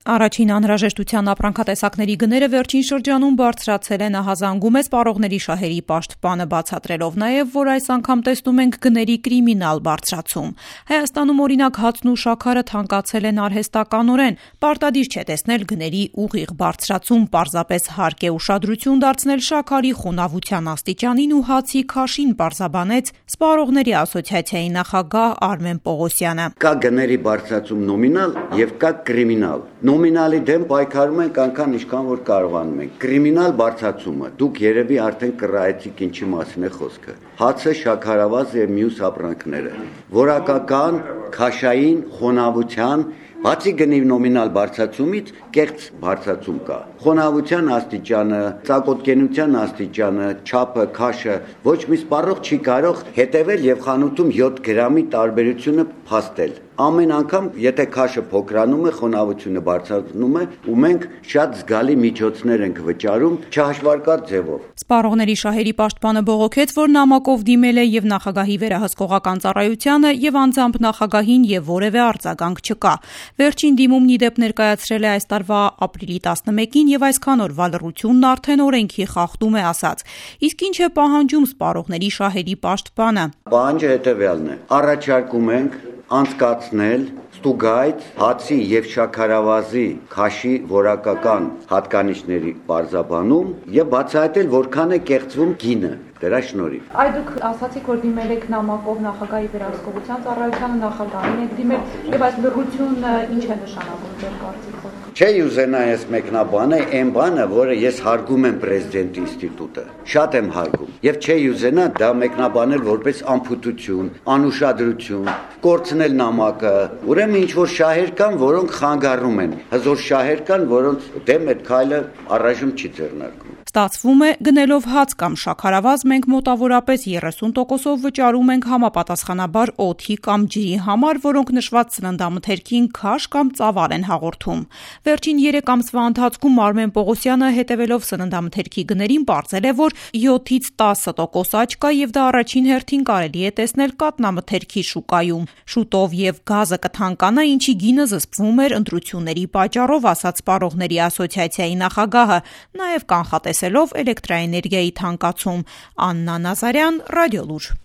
Առաջին անհրաժեշտության ապրանքատեսակների գները վերջին շրջանում բարձրացել են, ահազանգում է սպառողների շահերի պաշտպանը, բացատրելով նաև, որ այս անգամ տեսնում ենք գների կրիմինալ բարձրացում։ Հայաստանում օրինակ հացն ու շաքարը թանկացել են արհեստականորեն, պարտադիր չէ տեսնել գների ուղիղ բարձրացում, պարզապես հարկ է ուշադրություն դարձնել շաքարի խոնավության աստիճանին ու հացի քաշին, պարզաբանեց Սպառողների ասոցիացիայի նախագահ Արմեն Պողոսյանը։ Կա գների բարձրացում նոմինալ եւ կա կրիմինալ։ Նոմինալի դեմ պայքարում ենք այնքան ինչքան որ կարողանում ենք։ Կրիմինալ բարձրացումը դուք երևի արդեն կռայեցիք ինչի մասին է խոսքը։ Հացը, շաքարավազը եւ մյուս ապրանքները։ Որակական, քաշային, խոնավության բացի գնի նոմինալ բարձրացումից կեղծ բարձրացում կա։ Խոնավության աստիճանը, ծակոտկենության աստիճանը, չափը, քաշը ոչ մի սպառող չի կարող հետևել եւ խանութում 7 գրամի տարբերությունը փաստել։ Ամեն անգամ, եթե քաշը փոքրանում է, խոնավությունը բարձրանում է, ու մենք շատ զգալի միջոցներ ենք վճարում չհաշվարկած ձևով։ Սպառողների շահերի պաշտպանը բողոքեց, որ նամակով դիմել է եւ նախագահի վերահսկողական ծառայությանը եւ անձամբ նախագահին եւ որևէ արձագանք չկա։ Վերջին դիմումն ի դեպ ներկայացրել է այս տարվա ապրիլի 11-ին եւ այսքան օրվա լռությունն արդեն օրենքի խախտում է ասած։ Իսկ ինչ է պահանջում սպառողների շահերի պաշտպանը։ Պահանջը հետեւյալն է. առաջարկում ենք անցկացնել ստուգայց հացի եւ շաքարավազի քաշի որակական հատկանիշների բարձաբանում եւ բացահայտել որքան է կեղծվում գինը դրա շնորհիվ։ Այ դուք ասացիք, որ դիմել եք նամակով նախագահի վերահսկողության ծառայությանը, նախագահին եք դիմել եւ այս լռությունը ինչ է նշանակում ձեր կարծիքով։ Չէ ուզենա ես մեկնաբանը այն բանը, որը ես հարգում եմ պրեզիդենտի ինստիտուտը։ Շատ եմ հարգում եւ չէ ուզենա դա մեկնաբանել որպես անփութություն, անուշադրություն, կորցնել նամակը։ Ուրեմն ինչ որ շահեր կան, որոնք խանգարում են։ Հզոր շահեր կան, որոնց դեմ այդ քայլը առայժմ չի ձեռնարկվում։ Ստացվում է, գնելով հաց կամ շաքարավազ մենք մոտավորապես 30%-ով վճարում ենք համապատասխանաբար օդի կամ ջրի համար, որոնք նշված սննդամթերքին քաշ կամ ծավալ են հաղորդում։ Վերջին 3 ամսվա ընթացքում Արմեն Պողոսյանը հետևելով սննդամթերքի գներին պարզել է, որ 7-ից 10% աճ կա եւ դա առաջին հերթին կարելի է տեսնել կաթնամթերքի շուկայում։ Շուտով եւ գազը կթանկանա, ինչի գինը զսպվում էր ընտրությունների պատճառով, ասաց Սպառողների ասոցիացիայի նախագահը, նաեւ կանխատեսելով էլեկտրաէներգիայի թանկացում։ Աննա Նազարյան, Ռադիոլուր։